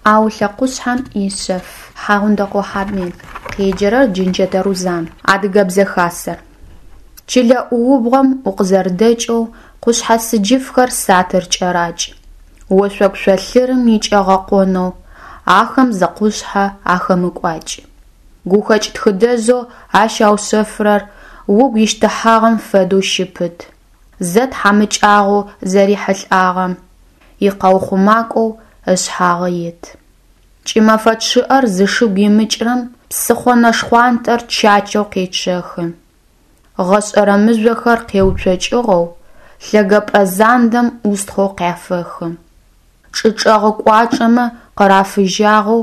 Аулъэ къушъхьэм ишъэф. Хьагъундэкъо Хьамед. Къеджэрэр Джэнчэтэ Рузан. Адыгэбзэ хасэр. Чылэ ӏуубгъом укъызэрэдэкӏэу къушъхьэ сыджыфхэр сатыр кӏэракӏ. Ошъогу шъолъырым икӏэгъэкъонэу ахэм зы къушъхьэ ахэмыкӏуакӏ. Гухэкӏ тхыдэжъэу ащ аушъэфрэр угу ищтыхьагъэм фэдэу щыпыт. Зэ тхьамыкӏагъо зэрихьылӏагъэм икъэухъумакӏоу ышъхьагъы ит. Кӏымэфэ чъыӏэр зышыгу имыкӏрэм псыхъо нэшхъуантӏэр чачэу къечъэхы. Гъэшӏэрэ мыжъохэр къеуцокӏыгъэу лъэгэпӏэ зандэм ӏустхъоу къяфэхы. Чӏы чӏэгъы кӏуачӏэмэ къырафыжьагъэу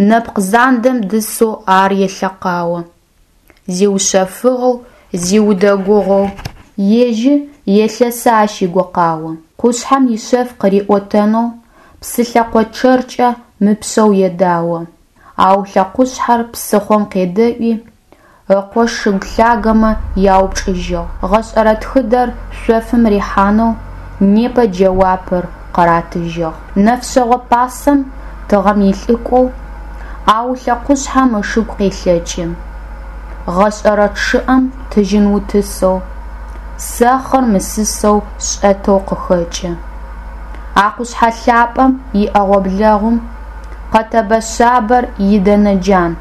нэпкъ зандэм дысэу ар елъэкъао. Зиушъэфыгъэу, зиудэгугъэу ежьы, елъэсы ащ игукъао. Къушъхьэм ишъэф къыриӏотэнэу псы лъэкъо чъэркӏэ мыпшъэу едао. Аулъэ къушъхьэр псыхъом къедэӏуи, ыкъо шыгу лъагэмэ яупчӏыжьыгъ. Гъэшӏэрэ тхыдэр шъофым рихьанэу непэ джэуапыр къыратыжьыгъ. Нэфшъэгъо пасэм тыгъэм илӏыкӏоу Аулъэ къушъхьэм ышыгу къелъэкӏы. Гъэшӏэрэ чъыӏэм тыжьын утысэу, сэхъыр мысысэу шӏэтэу къыхэкӏы. А къушъхьэ лъапӏэм иӏэгъо-блэгъум къэтэбэ шъабэр идэнэ джан.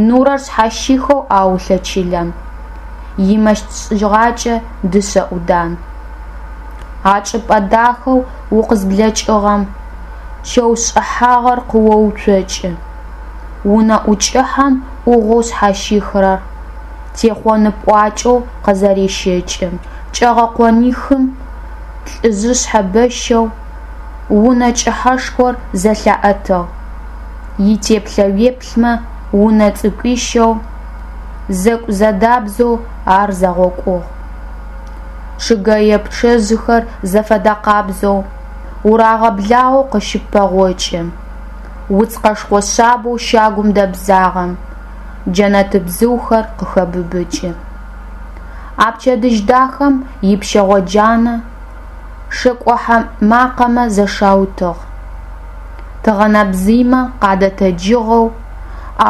Нурэр шъхьащихэу Аулъэ чылэм имэщыт шӏыгъакӏэ дышъэ ӏудан. А чӏыпӏэ дахэу укъызблэкӏыгъэм чэу шӏыхьагъэр къыоуцокӏы. Унэ ӏукӏыхьэм ӏугъоу шъхьащихрэр техъоны пӏуакӏэу къызэрещэкӏы. Кӏэгъэкъонихым лӏыжъышъхьэ бэщэу унэ кӏыхьэшхор зэлъаӏэтыгъ. Итеплъэ уеплъмэ, унэ цӏыкӏуищэу, зэкӏу-зэдабзэу ар зэгъокӏугъ. Чъыгэе пчъэжъхэр зэфэдэкъабзэу, урагъэблагъэу къыщыппэгъокӏы. Уц къэшхо шъабэу щагум дэбзагъэм джэнэтбзыухэр къыхэбыбыкӏы. А пчэдыжь дахэм ипщэгъо джанэ шэкӏохьэ макъэмэ зэщаутыгъ. Тыгъэнэбзыймэ къадэтэджыгъэу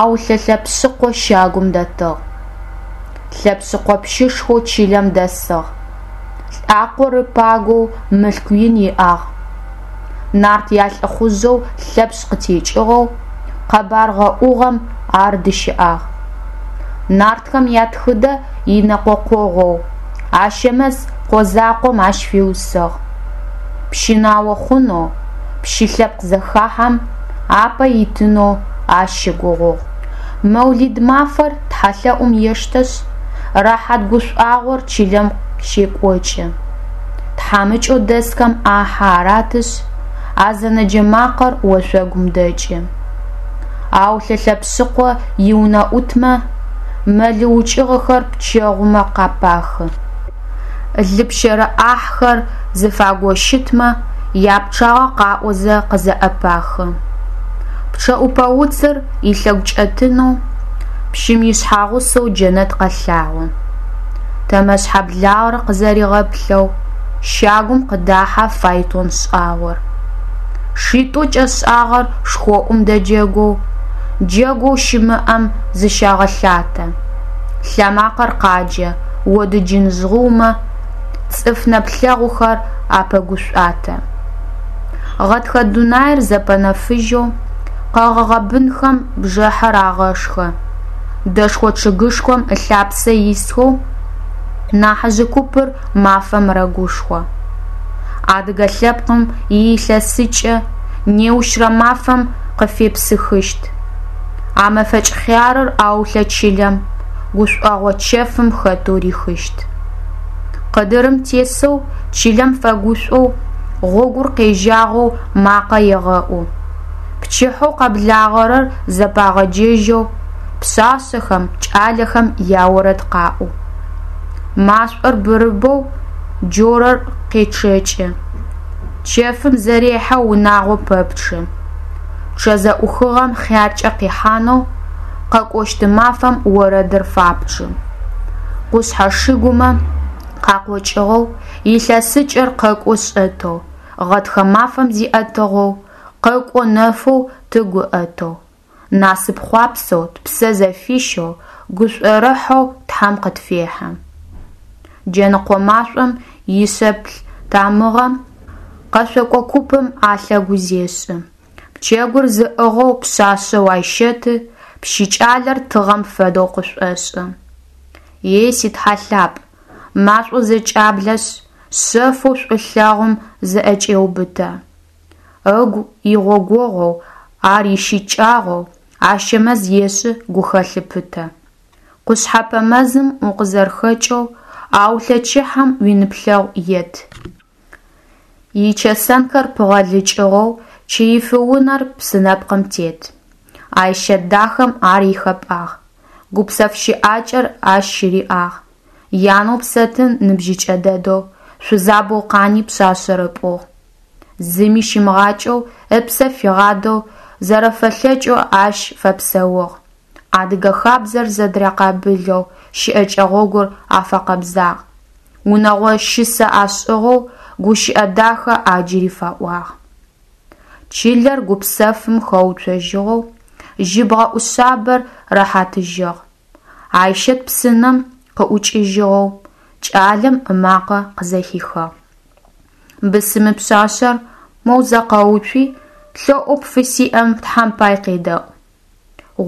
Аулъэ Лъэпшъыкъо щагум дэтыгъ. Лъэпшъыкъо пщышхоу чылэм дэсыгъ. Лӏакъор ыпагоу мылъку ин иӏагъ. Нарт ялӏыхъужъэу Лъэпшъ къытекӏыгъэу къэбар гъэӏугъэм ар дыщыӏагъ. Нартхэм ятхыдэ инэкъокъогъоу Ащэмэз къо закъом ащ фиусыгъ. Пщынао хъунэу, пщы лъэпкъ зэхахьэм апэ итынэу ащ щыгугъугъ. Мэулид мафэр тхьэлъэӏум ештэшъ, рэхьат гушӏуагъор чылэм щекӏокӏы. Тхьамыкӏэу дэсхэм ӏахьэ аратышъ, азэнэджэ макъэр ошъогум дэкӏы. Аулъэ Лъэпшъыкъо иунэӏутмэ мэлы укӏыгъэхэр пчэгъумэ къапахы. Лы пщэрэ ӏахьхэр зыфагощытмэ япчъагъэ къаӏозэ къызэӏэпахы. Пчъэӏупэ уцыр илъэгу кӏэтынэу пщым ишъхьагъусэу Джэнэт къэлъагъо. Тэмэшъхьэ благъэр къызэригъэплъэу щагум къыдахьэ файтон шӏагъор. Шитӏу кӏэшӏагъэр шхоӏум дэджэгоу, джэгоу щымыӏэм зыщагъэлъатэ. Лъэмакъэр къаджэ, одыджын жъгъыумэ цӏыф нэплъэгъухэр апэгушӏуатэ. Гъэтхэ дунаир зэпэнэфыжьэу къэгъэгъэ бынхэм бжыхьэр агъэшхэ. Дэшхо чъыгышхом ылъапсэ исхэу нахьыжъы купыр мафэм рэгушхо. Адыгэ лъэпкъым иилъэсыкӏэ неущрэ мафэм къыфепсыхыщт. А мэфэкӏ хъярыр Аулъэ чылэм гушӏогъо чэфым хэтэу рихыщт. Къыдырым тесэу чылэм фэгушӏоу гъогур къежьагъэу макъэ егъэӏу. Пчыхьэу къэблагъэрэр зэпагъэджэжьэу пшъашъэхэм, кӏалэхэм яорэд къаӏо. Машӏор бырыбэу джорэр къечъэкӏы. Чэфым зэрехьэ унагъо пэпчъы. Пчъэ зэӏухыгъэм хъяркӏэ къихьанэу къэкӏощт мафэм орэдыр фапчъы. Къушъхьэ шыгумэ къакъокӏыгъэу, илъэсыкӏэр къэкӏо шӏэтэу, гъэтхэ мафэм зиӏэтыгъэу, Къэкӏо нэфэу тыгу ыӏэтэу, Насып хъуапсэу тпсэ зэфищэу, Гушӏорыхьэу Тхьэм къытфехьы. Джэныкъо машӏом ишэплъ тамыгъэ Къэшъокӏо купым алъэгу зешӏы. Пчэгур зыӏыгъэу пшъашъэу Айщэты Пщыкӏалэр тыгъэм фэдэу къышӏошӏы. Ей, си Тхьэ лъапӏ, машӏоу зэкӏаблэшъ, Шъэфэу шӏулъэгъум зыӏэкӏеубытэ. Ыгу игъогогъоу, ар ищыкӏагъэу Ащэмэз ешӏы гухэлъы пытэ. Къушъхьэпэ мэзым укъызэрэхэкӏэу Аулъэ чыхӏэм уинэплъэгъу ет. Ичэсэнхэр пыгъэлыкӏыгъэу Чыифы унэр псынэпкъым тет. Айщэт дахэм ар ихэпӏагъ, Гупсэф щыӏакӏэр ащ щыриӏагъ. Янэу Псэтын ныбжьыкӏэ дэдэу Шъузабэу къани пшъашъэр ыпӏугъ. Зыми щимыгъакӏэу, ыпсэ фигъадэу, Зэрэфэлъэкӏэу ащ фэпсэугъ. Адыгэ хабзэр зэдырякъабылэу Щыӏэкӏэ гъогур афэкъэбзагъ. Унэгъо щысэ ашӏыгъэу Гущыӏэ дахэ ӏаджри фаӏуагъ. Чылэр гупсэфым хэуцожьыгъэу, Жьыбгъэ ӏушъабэр рэхьатыжьыгъ. Айщэт псынэм къыӏукӏыжьыгъэу, Кӏалэм ымакъэ къызэхихыгъ. Бысымы пшъашъэр моу зэ къэуцуи, Лъэӏоу пфысиӏэм Тхьэм пай къедэӏу.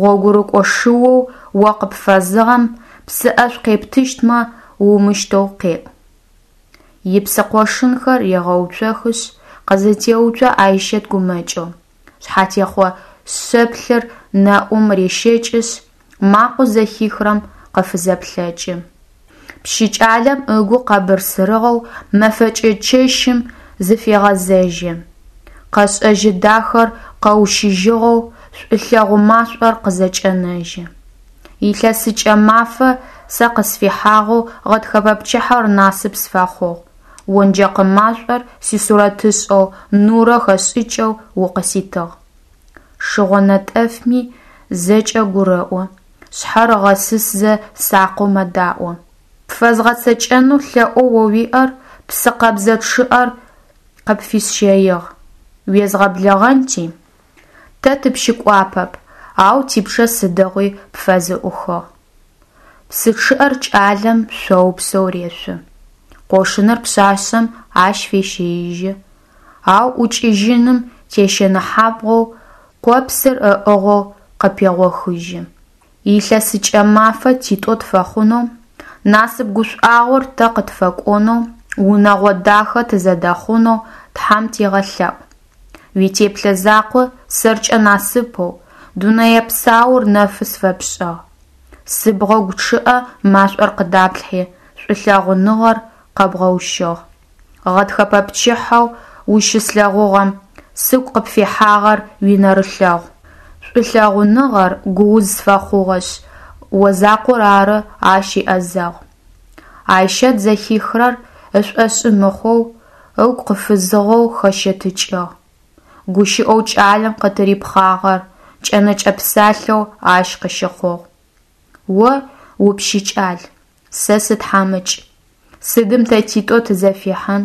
Гъогурыкӏо шыоу о къыпфэзыгъэм Псы ӏэшӏу къептыщтмэ, умыщтэу къеӏу. Ипсы къошынхэр регъэуцохышъ, Къызэтеуцо Айщэт гумэкӏэу. Шъхьатехъо шэплъыр нэӏум рещэкӏышъ, Макъэу зэхихрэм къыфызэплъэкӏы. Пщыкӏалэм ыгу къэбырсырыгъэу Мэфэкӏы чэщым зыфегъэзэжьы. Къэшӏэжьы дахэр къэущыжьыгъэу Шӏулъэгъу машӏор къызэкӏэнэжьы. Илъэсыкӏэ мафэ сэ къысфихьагъэу Гъэтхэпэ пчыхьэр насып сфэхъугъ. Онджэкъы машӏор сисурэтышӏэу Нурэ хэсшӏыкӏэу укъыситыгъ. Шыгъо нэтӏэфми зэкӏэ гурэӏо, Шъхьэр ыгъэсысзэ сакъэу мэдаӏо. Пфэзгъэцэкӏэнэу лъэӏоу о уиӏэр, Псы къэбзэ чъыӏэр къыпфисщэигъ, Уезгъэблэгъэнти. Тэ тыпщыкӏуапэп, ау типчъэ сыдигъуи пфызэӏухыгъ. Псы чъыӏэр кӏалэм шъоупсэу решъо. Къошыныр пшъашъэм ащ фещэижьы, ау ӏукӏыжьыным тещыныхьагъэу къопсыр ыӏыгъэу къыпегъохыжьы. Илъэсыкӏэ мафэ титӏо тфэхъунэу, Насып гушӏуагъор тэ къытфэкӏонэу, Унэгъо дахэ тызэдэхъунэу Тхьэм тегъэлъэӏу. Уитеплъэ закъо сэркӏэ насыпэу, Дунэе псаур нэфы сфэпшӏыгъ. Сыбгъэгу чъыӏэ машӏор къыдаплъхьи, Шӏулъэгъуныгъэр къэбгъэущыгъ. Гъэтхэпэ пчыхьэу ущыслъэгъугъэм Сыгу къыпфихьагъэр уинэрылъэгъу. Шӏулъэгъуныгъэр гууз сфэхъугъэшъ, О закъор ары ащ иӏэзэгъу. Айщэт зэхихрэр ышӏошъы мыхъоу, ыгу къыфызыгъэу хэщэтыкӏыгъ. Гущыӏэу кӏалэм къытырипхъагъэр кӏэнэкӏэ псалъэу ащ къыщыхъугъ. О упщыкӏал, сэ сытхьамыкӏ. Сыдым тэ титӏо тызэфихьын?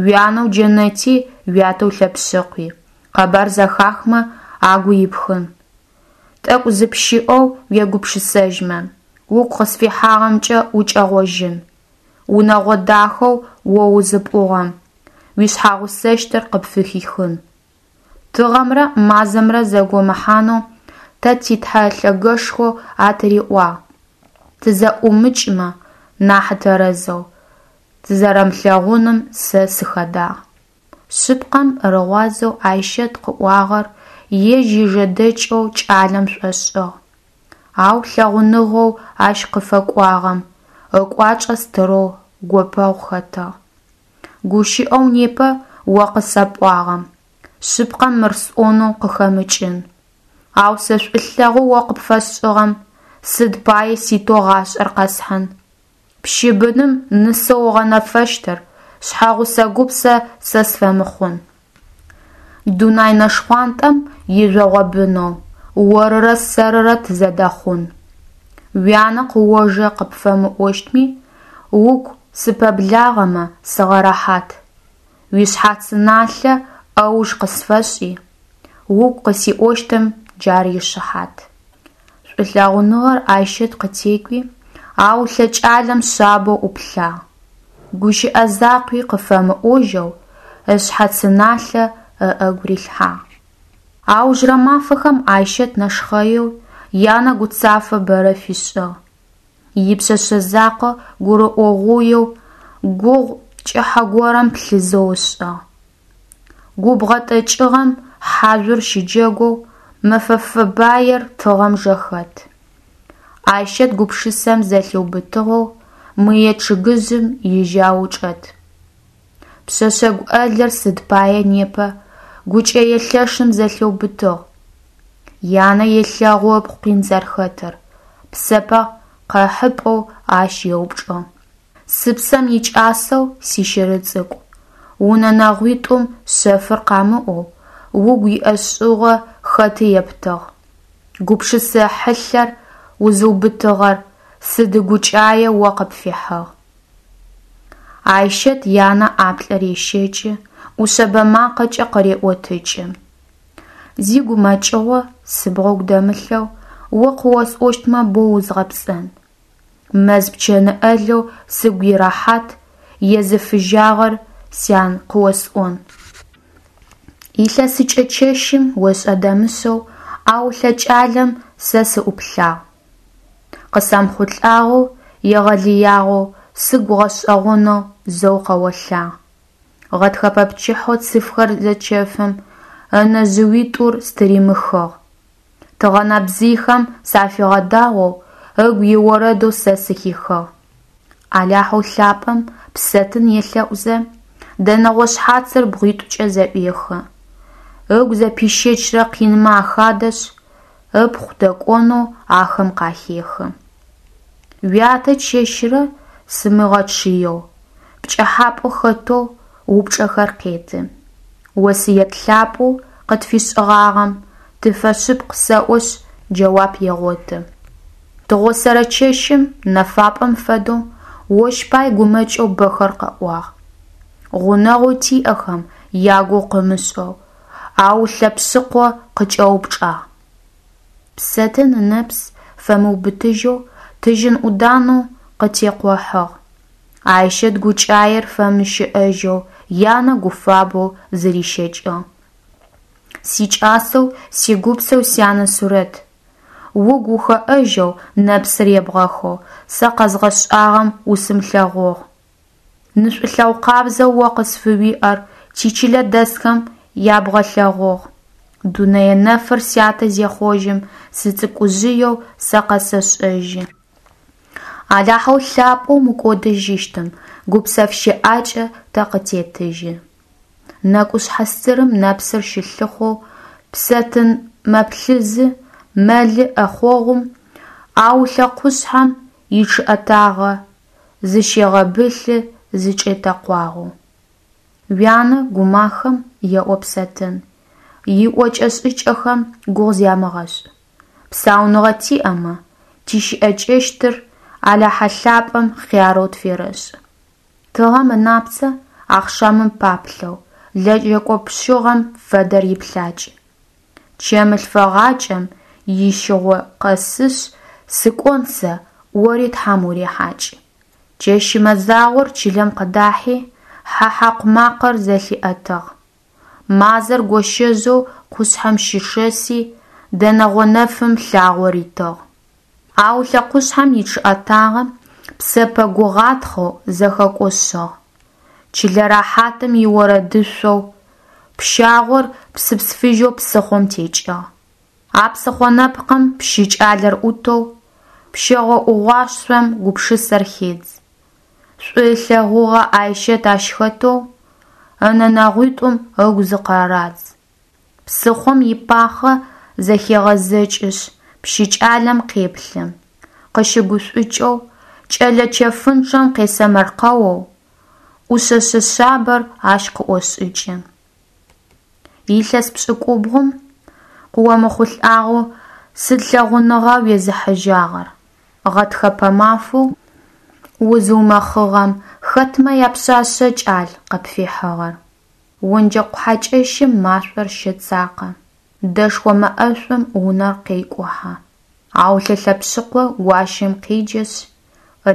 Уянэу Джэнэти уятэу Лъэпшъыкъуи къэбар зэхахмэ, агу ипхын. Тӏэкӏу зыпщыӏэу уегупшысэжьмэ, угу къысфихьагъэмкӏэ укӏэгъожьын. Унэгъо дахэу о узыпӏугъэм уишъхьэгъусэщтыр къыпфыхихын. Тыгъэмрэ мазэмрэ зэгомыхьанэу тэ ти Тхьэ лъэгэшхо атыриӏуагъ, тызэӏумыкӏмэ нахь тэрэзэу, тызэрэмылъэгъуным сэ сыхэдагъ. Шъыпкъэм рыгъуазэу Айщэт къыӏуагъэр ежь ижэдэкӏэу кӏалэм шӏошӏыгъ. Ау лъэгъуныгъэу ащ къыфэкӏуагъэм ыкӏуачӏэ стырэу гопэгъу хэтыгъ. Гущыӏэу непэ о къысэпӏуагъэм, шъыпкъэм мыр сӏонэу къыхэмыкӏын. Ау сэ шӏулъэгъоу о къыпфэсшӏыгъэм сыд пае ситэу гъашӏэр къэсхьын? Пщы быным нысэу ыгъэнэфэщтыр шъхьэгъусэ гупсэ сэ сфэмыхъун. Дунай нэшхъуантӏэм ижъогъо бынэу орырэ сэрырэ тызэдэхъун. Уянэ къыожэ къыпфэмыӏощтми, угу сыпэблагъэмэ, сыгъэрэхьат. Уишъхьацы налъэ ӏэуж къысфэшӏи, Угу къысиӏощтым джар ишыхьат. Шӏулъэгъуныгъэр Айщэт къытекӏуи, Аулъэ кӏалэм шъабэу ӏуплъагъ, гущыӏэ закъуи къыфэмыӏожьэу ышъхьацыналъэ ыӏэгу рилъхьагъ. Аужырэ мафэхэм Айщэт нэшхъэеу янэ гуцафэ бэрэ фишӏыгъ. Ипшъэшъэ закъо гурыӏогъуеу гугъу пкӏыхьэ горэм плъызэу ышӏыгъ. Губгъо тӏэкӏыгъэм хьажъур щыджэгоу мэфэ фэбаер тыгъэм жэхэт. Айщэт гупшысэм зэлъиубытыгъэу мые чъыгыжъым ижьау чӏэт. Пшъэшъэ гуӏэлыр сыд пае непэ гукӏэе лъэшым зэлъиубытыгъ? Янэ елъэгъу ыпхъу къин зэрхэтыр, псэпэ къэхьыпӏэу ащ еупчӏыгъ. Сыпсэм икӏасэу сищыры цӏыкӏу, унэ нэгъуитӏум шъэфыр къамыӏоу, угу иӏэшӏугъэ хэты ептыгъ? Гупшысэ хьылъэр узыубытыгъэр сыд гукӏае о къыпфихьыгъ? Айщэт янэ ӏаплӏы рещэкӏы, ӏушъэбэ макъэкӏэ къыреӏотыкӏы. Зи гумэкӏыгъо сыбгъэгу дэмылъэу о къыосӏощтмэ боу узгъэпцӏэн. Мэз пчэны ӏэлэу сыгу ирэхьат езыфыжьагъэр, сян, къыосӏон. Илъэсыкӏэ чэщым ошӏэ-дэмышӏэу Аулъэ кӏалэм сэ сыӏуплъагъ. Къысэмыхъулӏагъэу, егъэлыягъэу, сыгу гъэшӏэгъонэу зэу къэолъагъ. Гъэтхэпэ пчыхьэу цыфхэр зэчэфым ынэ жъыуитӏур стыримыхыгъ. Тыгъэнэбзыйхэм сафигъэдагъоу, ыгу иорэдэу сэ сыхихыгъ. Алахьэу лъапӏэм псэтын елъэӏузэ, дэнэгъо шъхьацыр бгъуитӏукӏэ зэӏуехы. Ыгу зэпищэчрэ къинмэ ахадэшъ, ыпхъу дэкӏонэу ахэм къахехы. Уятэ чэщырэ сымыгъэчъыеу, пкӏыхьапӏэу хэтэу упчӏэхэр къеты. Осыет лъапӏэу къытфишӏыгъагъэм тыфэшъыпкъ сэӏошъ, джэуап егъоты. Тыгъосэрэ чэщым нэфапӏэм фэдэу ощ пай гумэкӏэу бэхэр къэӏуагъ. Гъунэгъоу тиӏэхэм ягугъу къымышӏэу, Аулъэ псыхъо къыкӏэупчӏагъ. Псэтын ынэпс фэмыубытыжьэу тыжьын ӏуданэу къытекъохьыгъ. Айщэт гукӏаер фэмыщыӏэжьэу янэ гуфабэу зырищэкӏыгъ. Сикӏасэу, сигупсэу сянэ сурэт, угу ухэӏэжьэу нэпсыр ебгъэхэу сэ къэзгъэшӏагъэм усымылъэгъугъ. Ны шӏулъэгъу къабзэу о къысфыуиӏэр тичылэ дэсхэм ябгъэлъэгъугъ. Дунэе нэфыр сятэ зехъожьым, сыцӏыкӏужъыеу сэ къэсэшӏэжьы. Алахьэу лъапӏэу мыкӏодыжьыщтым гупсэф щыӏакӏэ тэ къытетыжьы. Нэкӏушъхьэ стырым нэпсыр щылъыхъоу Псэтын мэплъызы, мэлы ӏэхъогъум Аулъэ къушъхьэм ичъыӏэтагъэ зыщегъэбылъы зычӏетэкъуагъэу. Уянэ гумахэм, еӏо Псэтын, иӏокӏэ-шӏыкӏэхэм гугъу зямыгъэшӏ. Псауныгъэ тиӏэмэ, тищыӏэкӏэщтыр Алахьэ лъапӏэм хъярэу тферэшӏ. Тыгъэм ынапцэ ахъшамым паплъэу, лэжьэкӏо пшъыгъэм фэдэр иплъакӏ. Чэмы лъфэгъакӏэм ищыгъо къэсышъ, сыкӏон сэ, ори Тхьам урехьакӏ. Чэщы мэзагъор чылэм къыдахьи, хьэ хьакъу макъэр зэлъиӏэтыгъ. Мазэр гощэжъэу къушъхьэм щышэси, дэнэгъо нэфым лъагъо ритыгъ. Аулъэ къушъхьэм ичъыӏэтагъэ псэпэ гугъатхъэу зэхэкӏошъыгъ. Чылэ рэхьатым иорэдышъоу пщагъор псыпс фыжьэу псыхъом текӏыгъ. А псыхъо нэпкъым пщы кӏалэр ӏутэу пщэгъо ӏугъуашъом гупшысэр хедз. Шӏу ылъэгъугъэ Айщэт ащ хэтэу ынэ нэгъуитӏум ыгу зыкъырадз. Псыхъом ипахъэ зэхегъэзэкӏышъ, пщы кӏалэм къеплъы, къыщыгушӏукӏэу, кӏэлэ чэфынчъэм къесэмэркъэоу, ӏушъэшъэ шъабэр ащ къыӏошӏыкӏы. Илъэс пшӏыкӏубгъум къыомыхъулӏагъэу сыд лъэгъуныгъа уезыхьыжьагъэр? Гъэтхэпэ мафэу узыумэхъыгъэм хэтмэ япшъашъэ кӏал къыпфихьыгъэр? Онджэкъ хьакӏэщым машӏор щэцакъэ. Дэшхо мэ ӏэшӏум унэр къекӏухьэ. Аулъэ Лъэпшъыкъо гуащэм къеджэшъ,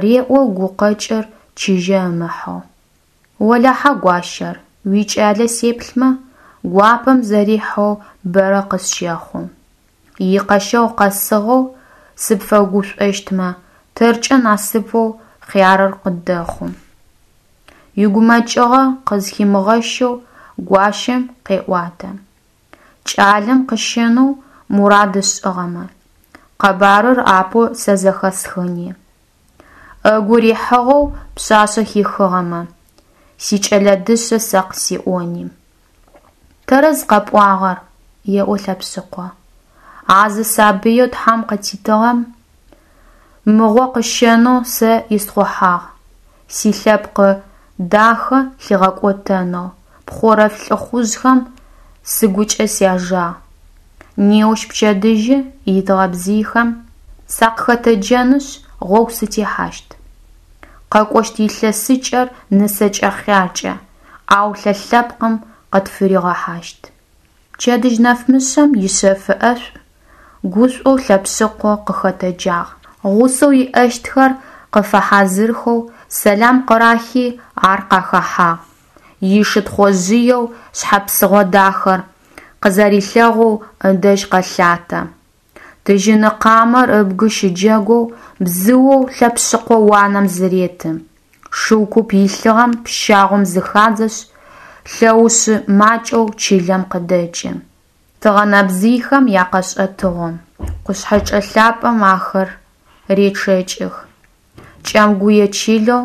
реӏо гукъэкӏыр чыжьэ ымыхьэу: Олахьэ, гуащэр, уикӏалэ сеплъмэ, гуапэм зэрихьэу бэрэ къысщэхъу. Икъэщэгъу къэсыгъэу сыпфэгушӏощтмэ, тэркӏэ насыпэу хъярыр къыддэхъу. Игумэкӏыгъэ къызхимыгъэщэу гуащэм къеӏуатэ: Кӏалэм къыщэнэу мурад ышӏыгъэмэ, къэбарыр апэу сэ зэхэсхыни. Ыгу рихьыгъэу пшъашъэ хихыгъэмэ, сикӏэлэ дышъэ сэ къысиӏони. Тэрэз къэпӏуагъэр, еӏо Лъэпшъыкъо. А зы сабыеу Тхьэм къытитыгъэм мыгъо къыщэнэу сэ исхъухьагъ, силъэпкъы дахэ лъигъэкӏотэнэу пхъорэлъф лӏыхъужъхэм сыгукӏэ сяжагъ. Неущ пчэдыжьы итыгъэ бзыйхэм сакъыхэтэджэнышъ, гъогу сытехьащт. Къэкӏощт илъэсыкӏэр нысэкӏэ хъяркӏэ Аулъэ лъэпкъым къытфыригъэхьащт. Пчэдыжь нэфмышъэм ишъэфы ӏэшӏу гушӏоу Лъэпшъыкъо къыхэтэджагъ. Гъусэу иӏэщтхэр къыфэхьазырхэу сэлам къырахи ар къахэхьагъ. Ишы Тхъожъыеу шъхьэ псыгъо дахэр къызэрилъэгъоу ыдэжь къэлъатэ. Тыжьыны къамэр ыбгы щыджэгоу бзыоу Лъэпшъыкъо уанэм зыреты. Шыу куп илъыгъэм пщагъом зыхадзэшъ, лъэушъы макӏэу чылэм къыдэкӏы. Тыгъэнэбзыйхэм якъэшӏэтыгъо, къушъхьэчӏэ лъапэм ахэр речъэкӏых. Кӏэмгуе чылэу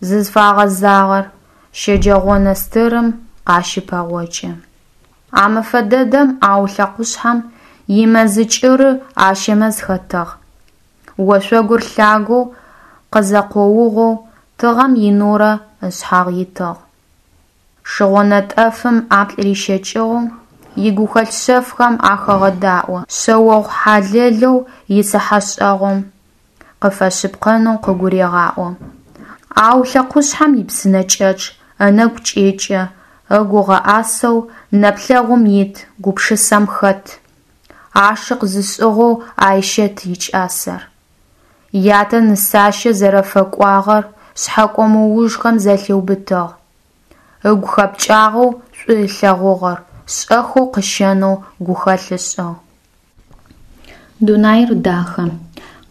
зызфагъэзагъэр щэджэгъонэ стырым къащыпэгъокӏы. А мэфэ дэдэм Аулъэ къушъхьэм имэзы кӏыры Ащэмэз хэтыгъ. Ошъогур лъагэу къызэкъоугъэу тыгъэм инурэ ышъхьагъ итыгъ. Шыгъо нэтӏэфым ӏаплӏ рищэкӏыгъэу, игухэлъ шъэфхэм ахегъэдаӏо, шъэогъу хьалэлэу ицыхьэшӏэгъум къыфэшъыпкъэнэу къыгурегъаӏо. Аулъэ къушъхьэм ипсынэкӏэчъ ынэгу кӏэкӏы, ыгу ыгъэӏасэу нэплъэгъум ит, гупшысэм хэт. Ашыкъ зышӏыгъэу Айщэт икӏасэр. Ятэ нысащэ зэрэфэкӏуагъэр шъхьэкӏо мыужхэм зэлъиубытыгъ. Ыгу хэпкӏагъэу шӏу ылъэгъугъэр шӏэхэу къыщэнэу гухэлъ ышӏыгъ. Дунаир дахэ.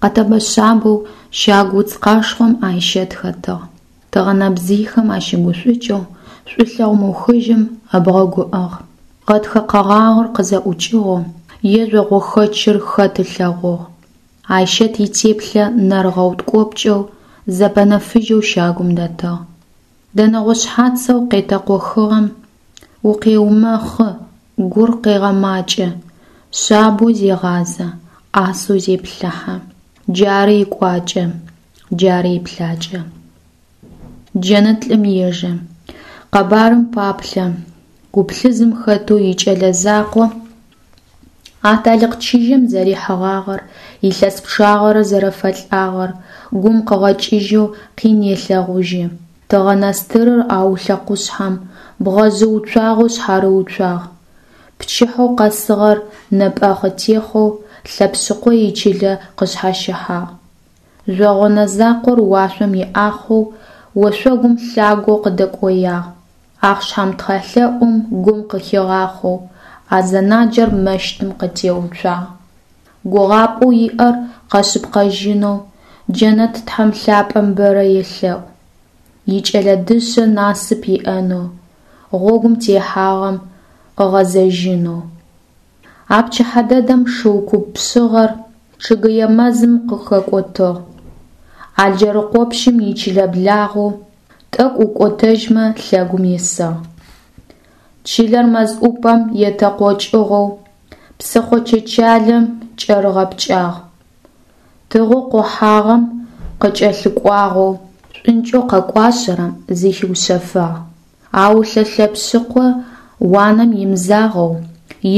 Къэтэбэ шъабэу щагу уц къашхъом Айщэт хэтыгъ. Тыгъэнэбзыйхэм ащыгушӏукӏэу шӏулъэгъу мыухыжьым ыбгъэгу ыӏыгъ. Гъэтхэ къэгъагъыр къызэӏукӏыгъэу е жъогъохэчъыр хэт ылъэгъугъ. Айщэт итеплъэ нэр ыгъэуткӏопкӏэу, зэпэнэфыжьэу щагум дэтыгъ. Дэнэгъо шъхьацэу къетэкъохыгъэм укъеумэхъы, гур къегъэмакӏэ, шъабэу зегъазэ, ӏасэу зеплъыхьэ. Джары икӏуакӏэ, джары иплъакӏэ. Джэнэт лӏым ежэ. Къэбарым паплъэ. Гуплъызым хэтэу икӏэлэ закъо аталыкъ чыжьэм зэрихьыгъагъэр, илъэс пчъагъэрэ зэрэфэлӏагъэр гум къыгъэкӏыжьэу къин елъэгъужьы. Тыгъэнэстырыр Аулъэ къушъхьэм бгъэжъы уцуагъэу шъхьарыуцуагъ. Пчыхьэу къэсыгъэр нэпӏэхъытехъоу Лъэпшъыкъо ичылэ къышъхьащыхьагъ. Жъогъонэ закъор уашъом иӏахъоу ошъогум лъагэу къыдэкӏоягъ. Ахъшам тхьэлъэӏум гум къыхигъахъоу азэнаджэр мэщытым къытеуцуагъ. Гугъапӏэу иӏэр къэшъыпкъэжьынэу джэнэт Тхьэм лъапӏэм бэрэ елъэӏу. Икӏэлэ дышъэ насып иӏэнэу, гъогум техьагъэм къыгъэзэжьынэу. А пчыхьэ дэдэм шыу куп пшъыгъэр чъыгэе мэзым къыхэкӏотыгъ. Алджэрыкъопщым ичылэ благъэу, тӏэкӏу укӏотэжьмэ лъэгум исыгъ. Чылэр мэз ӏупэм етэкъокӏыгъэу, псыхъо чэчалэм кӏэрыгъэпкӏагъ. Тыгъэу къохьагъэм къыкӏэлъыкӏуагъэу, шӏункӏэу къэкӏуашъэрэм зыхиушъэфагъ. Аулъэ Лъэпшъыкъо уанэм имызагъэу,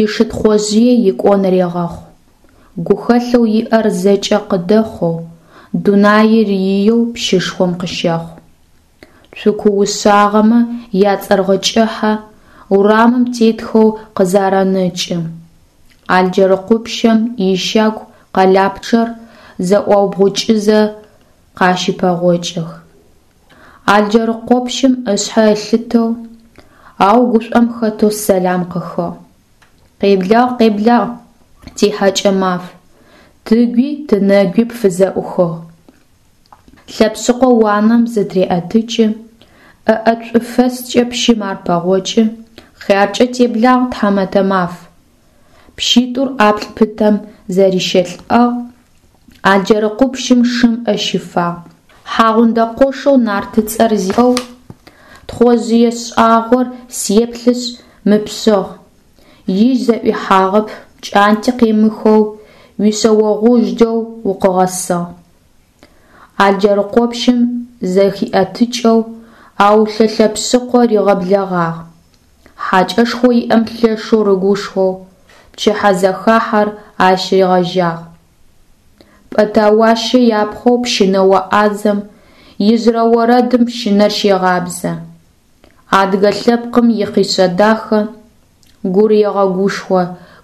ишы Тхъожъые икӏон регъэхъу. Гухэлъэу иӏэр зэкӏэ къыдэхъоу, дунаир иеу пщышхом къыщэхъу. Цуку ушъагъэмэ яцӏэргъыкӏыхьэ урамым тетхэу къызаранэкӏы. Алджэрыкъопщым ищагу къэлапчъэр зэӏуаубгъукӏызэ къащыпэгъокӏых. Алджэрыкъопщым ышъхьэ ылъытэу, ау гушӏом хэтэу сэлам къыхыгъ. Къеблагъ, къеблагъ, тихьэкӏэ маф, тыгуи тынэгуи пфызэӏухыгъ. Лъэпшъыкъо уанэм зытыреӏэтыкӏы, ӏэ ӏэт шӏуфэскӏэ пщым ар пэгъокӏы, хъяркӏэ теблагъ, тхьамэтэ маф. Пщитӏур ӏаплӏ пытэм зэрищэлӏагъ, Алджэрыкъопщым шым ӏэ щифагъ. Хьагъундэкъошэу нартыцӏэр зиӏэу, Тхъожъые шӏагъор сеплъышъ мыпшъыгъ, Ижь зэӏуихьагъэп, пкӏанти къемыхэу Уишъэогъужъэу укъыгъэсыгъ. Алджэрыкъопщым зыхиӏэтыкӏэу Аулъэ Лъэпшъыкъо ригъэблэгъагъ. Хьакӏэшхоу иӏэм лъэшэу рыгушхоу Пчыхьэзэхахьэр ащ ригъэжьагъ. Пӏэтауащэ япхъоу пщынэо ӏазэм Ижъырэ орэдым пщынэр щегъабзэ. Адыгэ лъэпкъым ихъишъэ дахэ Гур егъэгушхо,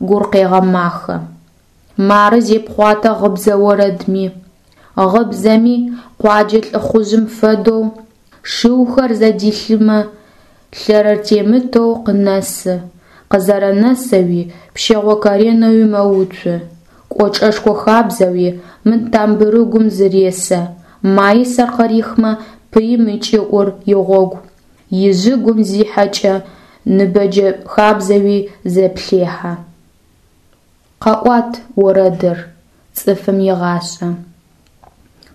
гур къегъэмахэ. Мары зепхъуатэ гъыбзэ орэдми, Гъыбзэми, къуаджэ лӏыхъужъым фэдэу, Шыухэр зэдилъымэ, лъэрэ темытэу къынэсы, Къызэрэнэсэуи пщэгъо коренэуи мэуцу, Кӏочӏэшхо хабзэуи мын тамбырыгум зыресэ, Маисэр къырихмэ, пыим ыкӏыӏур игъогу, Ижъыгум зихьэкӏэ, ныбэджэ хабзэуи зэплъехьэ. Къэӏуат, орэдыр, цӏыфым игъашӏэ.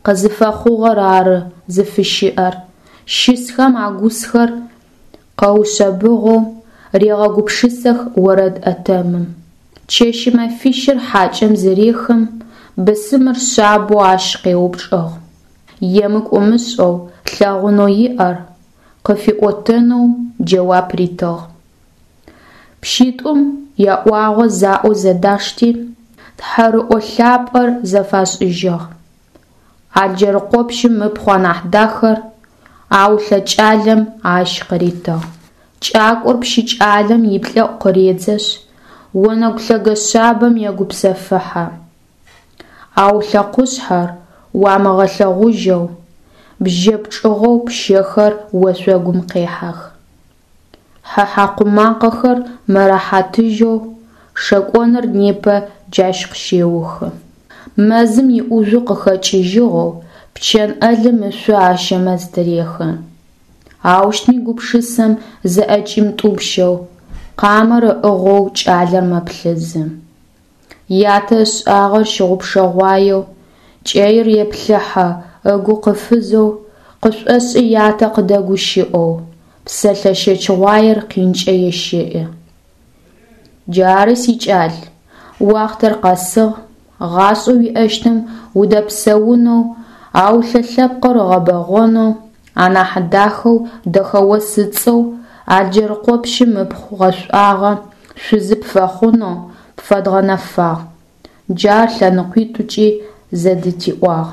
Къызыфэхъугъэр ары зыфыщыӏэр, Щысхэм агусхэр къэушъэбыгъэу Регъэгупшысэх орэд ӏэтэмым. Чэщи мэфищыр хьакӏэм зырехым, Бысымыр шъабэу ащ къеупчӏыгъ. Емыкӏу ымышӏэу лъэгъунэу иӏэр Къыфиӏотэнэу джэуап ритыгъ. Пщитӏум яӏуагъэ заӏоу зэдашти, Тхьэрыӏо лъапӏэр зэфашӏыжьыгъ. Алджэрыкъопщым ыпхъу анахь дахэр Аулъэ кӏалэм ащ къыритыгъ. Кӏакӏор пщы кӏалэм иплӏэӏу къыредзэшъ, Онэгу лъэгэ шъабэм егупсэфыхьэ. Аулъэ къушъхьэр уамыгъэлъэгъужьэу, Бжьэ пчӏыгъэу пщэхэр ошъогум къехьэх. Хьэ хьакъу макъэхэр мэрэхьатыжьэу Шэкӏоныр непэ джащ къыщеухы. Мэзым иӏужъу къыхэкӏыжьыгъэу Пчэн ӏэлым ышъо Ащэмэз тырехы. Аущтми гупшысэм зыӏэкӏимытӏупщэу, Къамэр ыӏыгъэу кӏалэр мэплъызы. Ятэ ышӏагъэр щыгъупшэгъуаеу, Кӏэир еплъыхьэ, ыгу къыфызэу, Къышӏошӏы ятэ къыдэгущыӏэу, Псэлъэ щэчыгъуаер къинкӏэ ещэӏы. Джары, сикӏал, уахътэр къэсыгъ, Гъашӏэу уиӏэщтым удэпсэунэу, Аулъэ лъэпкъыр ыгъэбэгъонэу, Анахь дахэу Дэхэос ыцӏэу Алджэрыкъопщым ыпхъу гъэшӏуагъэ Шъузы пфэхъунэу пфэдгъэнэфагъ. Джар лъэныкъуитӏукӏи зэдытиӏуагъ.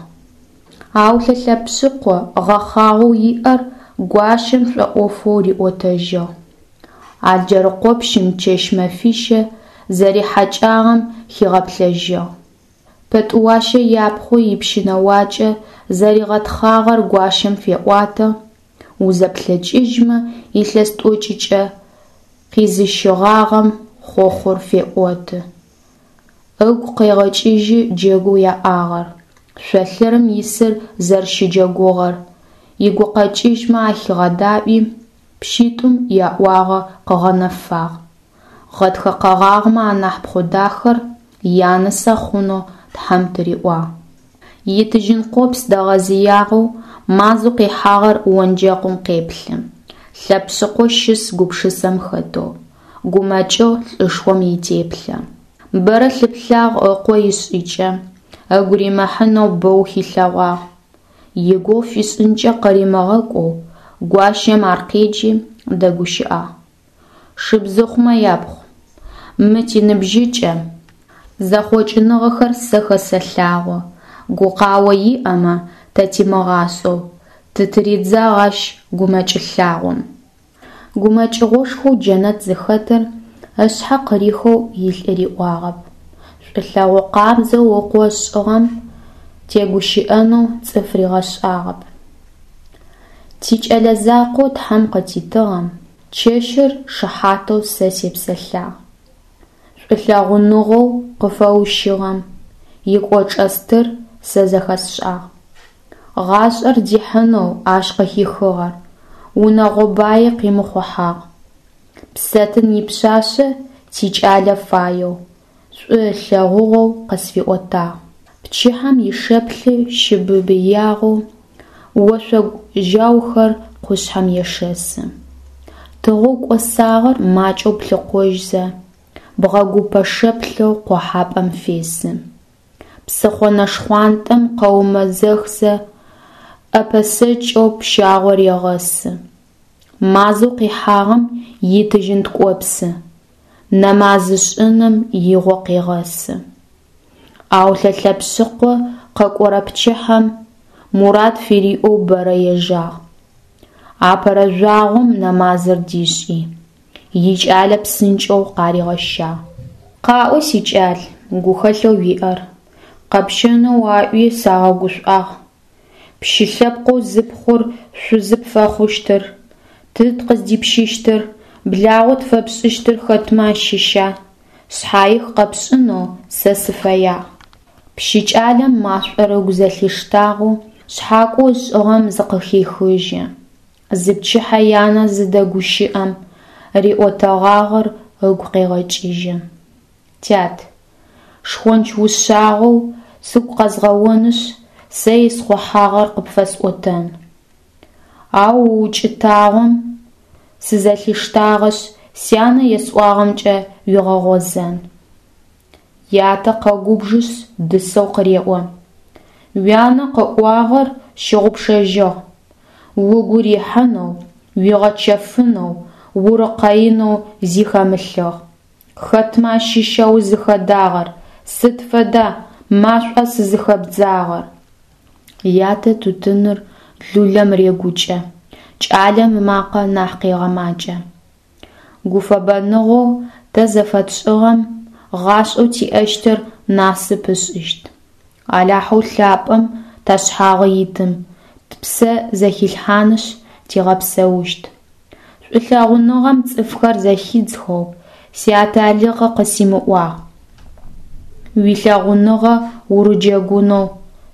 Аулъэ Лъэпшъыкъо гъэхъагъэу иӏэр гуащэм шӏоӏофэу риӏотэжьыгъ. Алджэрыкъопщым чэщ-мэфищэ зэрихьэкӏагъэм хигъэплъэжьыгъ. Пэтӏыуащэ япхъу ипщынэуакӏэ зэригъэтхъагъэр гуащэм феӏуатэ, узэплъэкӏыжьмэ илъэс тӏокӏыкӏэ къизыщыгъагъэм хъохъур феӏоты. Ыгу къегъэкӏыжьы джэгоу яӏагъэр, шъолъырым исыр зэрэщыджэгугъэр, игукъэкӏыжьмэ ахигъэдаӏуи, пщитӏум яӏуагъэ къыгъэнэфагъ. Гъэтхэ къэгъагъмэ анахь пхъу дахэр янысэ хъунэу Тхьэм тыриӏуагъ. Итыжьын къопс дэгъэзыягъэу мазэу къихьагъэр онджэкъым къеплъы. Лъэпшъыкъо щыс гупшысэм хэтэу, гумэкӏыгъ лӏышхом итеплъэ. Бэрэ лъыплъагъ ыкъо ишӏыкӏэ, ыгу римыхьынэу бэу хилъэгъуагъ. Игугъу фишӏынкӏэ къыримыгъэкӏоу гуащэм ар къеджи, дэгущыӏагъ. Шыбзыхъумэ япхъу, мы тиныбжьыкӏэ зэхъокӏыныгъэхэр сэ хэсэлъагъо, гукъао иӏэмэ тэ тимыгъашӏэу, тытыридзагъ ащ гумэкӏ лъагъом. Гумэкӏыгъошхоу Джэнэт зыхэтыр Ышъхьэ къырихэу илӏы риӏуагъэп, шӏулъэгъу къабзэу ыкъо ышӏыгъэм тегущыӏэнэу цӏыф ригъэшӏагъэп. Тикӏэлэ закъоу Тхьэм къытитыгъэм чэщыр шыхьатэу сэ сепсэлъагъ. Шӏулъэгъуныгъэу къыфэущыгъэм икӏочӏэ стыр сэ зэхэсшӏагъ. Гъашӏэр дихьынэу ащ къыхихыгъэр унэгъо баи къимыхъухьагъ. Псэтын ипшъашъэ тикӏалэ фаеу, шӏу ылъэгъугъэу къысфиӏотагъ. Пчыхьэм ишэплъы щыбыбыягъэу ошъогу жьаухэр къушъхьэм ешэсы. Тыгъэу кӏосагъэр макӏэу плъыкъожьзэ, бгъэгупэ шэплъэу къохьапӏэм фесы. Псыхъо нэшхъуантӏэм къэумэзэхзэ, ӏэпэсэкӏэу пщагъор егъэсы. Мазэу къихьагъэм итыжьын ткӏопсы нэмаз ышӏыным игъо къегъэсы. Аулъэ Лъэпшъыкъо къэкӏорэ пчыхьэм мурад фыриӏэу бэрэ ежагъ. Апэрэ жъуагъом нэмазыр дишӏи, икӏалэ псынкӏэу къаригъэщагъ. Къаӏо, сикӏал, гухэлъэу уиӏэр, къэпщэнэу аӏуи сагъэгушӏуагъ. Пщы лъэпкъэу зыпхъур шъузы пфэхъущтыр, тыд къыздипщыщтыр, благъэу тфэпшӏыщтыр хэтмэ ащыща, шъхьаих къэпшӏынэу сэ сыфэягъ. Пщы кӏалэм машӏор ыгу зэлъиштагъэу шъхьакӏоу ышӏыгъэм зыкъыхехыжьы. Зыпчыхьэ янэ зыдэгущыӏэм, риӏотэгъагъэр ыгу къегъэкӏыжьы. Тят, шхонч ушъагъэу сыгу къэзгъэонышъ, сэ исхъухьагъэр къыпфэсӏотэн. Ау укӏытагъом сызэлъиштагъэшъ, сянэ есӏуагъэмкӏэ уигъэгъозэн. Ятэ къэгубжышъ, дысэу къыреӏо: Уянэ къыӏуагъэр щыгъупшэжьыгъ, угу рихьынэу, уигъэчэфынэу, урыкъэинэу зи хэмылъыгъ. Хэтмэ ащыща узыхэдагъэр, сыд фэда машӏуа сызыхэбдзагъэр? Ятэ тутыныр лулэм регукӏэ, кӏалэм ымакъэ нахь къегъэмакӏэ. Гуфэбэныгъэу тэ зэфэтшӏыгъэм гъашӏэу тиӏэщтыр насып ышӏыщт. Алахьэу лъапӏэм ташъхьагъы итым тпсэ зэхилъхьанышъ, тигъэпсэущт. Шӏулъэгъуныгъэм цӏыфхэр зэхидзхэу сиаталыкъы къысимыӏуагъ. Уилъэгъуныгъэ урыджэгунэу,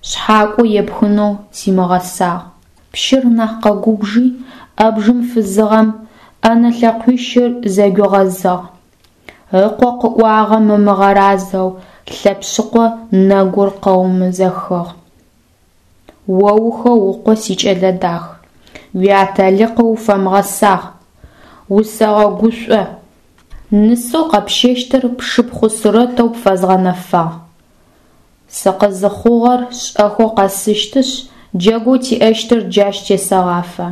шъхьакӏо епхынэу симыгъэсагъ. Пщыр нахь къэгубжи, ӏэбжым фызыгъэм ӏэнэ лъэкъуищыр зэгуигъэзыгъ. Ыкъо къыӏуагъэм ымыгъэразэу Лъэпшъыкъо нэгур къэумэзэхыгъ. Оухэукъо, сикӏэлэ дах, уиаталыкъы уфэмыгъэсагъ, усэгъэгушӏо. Нысэу къэпщэщтыр пшыпхъу Сурэтэу пфэзгъэнэфагъ. Сыкъызыхъугъэр шӏэхэу къэсыщтышъ, джэгоу тиӏэщтыр джащ тесэгъафэ.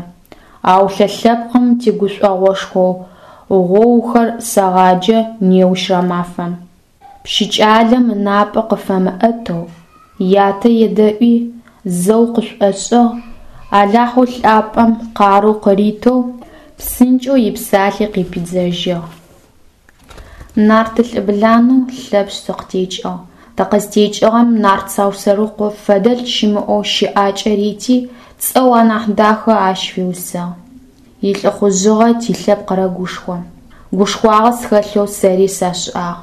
Аулъэ лъэпкъым тигушӏогъошхоу гъоухэр сэгъаджэ неущрэ мафэм. Пщы кӏалэм ынапӏэ къыфэмыӏэтэу ятэ едэӏуи, зэу къышӏошӏыгъ, Алахьэу лъапӏэм къарыу къыритэу псынкӏэу ипсалъи къыпидзэжьыгъ. Нарт лӏыбланэу Лъэпшъ тыкъытекӏыгъ. Тыкъызтекӏыгъэм нарт Саусэрыкъо фэдэлӏ щымыӏэу щыӏакӏэ рити, цӏэу анахь дахэ ащ фиусыгъ. Илӏыхъужъыгъэ тилъэпкъ рэгушхо. Гушхуагъэ схэлъэу сэри сашӏагъ.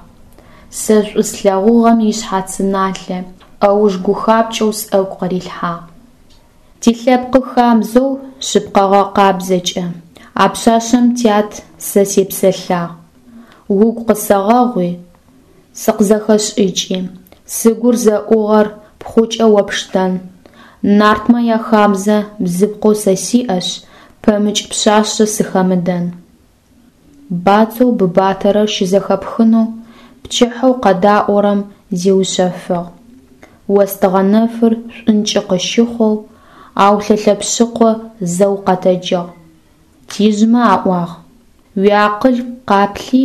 Сэ шӏу слъэгъугъэм ишъхьацы налъэ ӏэуж гухапкӏэу сӏэгу къырилъхьагъ. Тилъэпкъы хабзэу шъыпкъэгъэ къабзэкӏэ а пшъашъэм тят сэ сепсэлъагъ. Угу къысэгъэгъуи, сыкъызэхэшӏыкӏи, сыгур зэӏугъэр пхъукӏэ о пштэн. Нартмэ яхабзэ бзыпхъэу сэ сиӏэшъ, пэмыкӏ пшъашъэ сыхэмыдэн. Бацэу быбатэрэр щызэхэпхынэу пчыхьэу къэдаӏорэм зиушъэфыгъ. Остыгъэ нэфыр шӏункӏы къыщыхъоу Аулъэ Лъэпшъыкъо зэу къэтэджыгъ. Тижъмэ аӏуагъ: Уиакъыл къаплъи,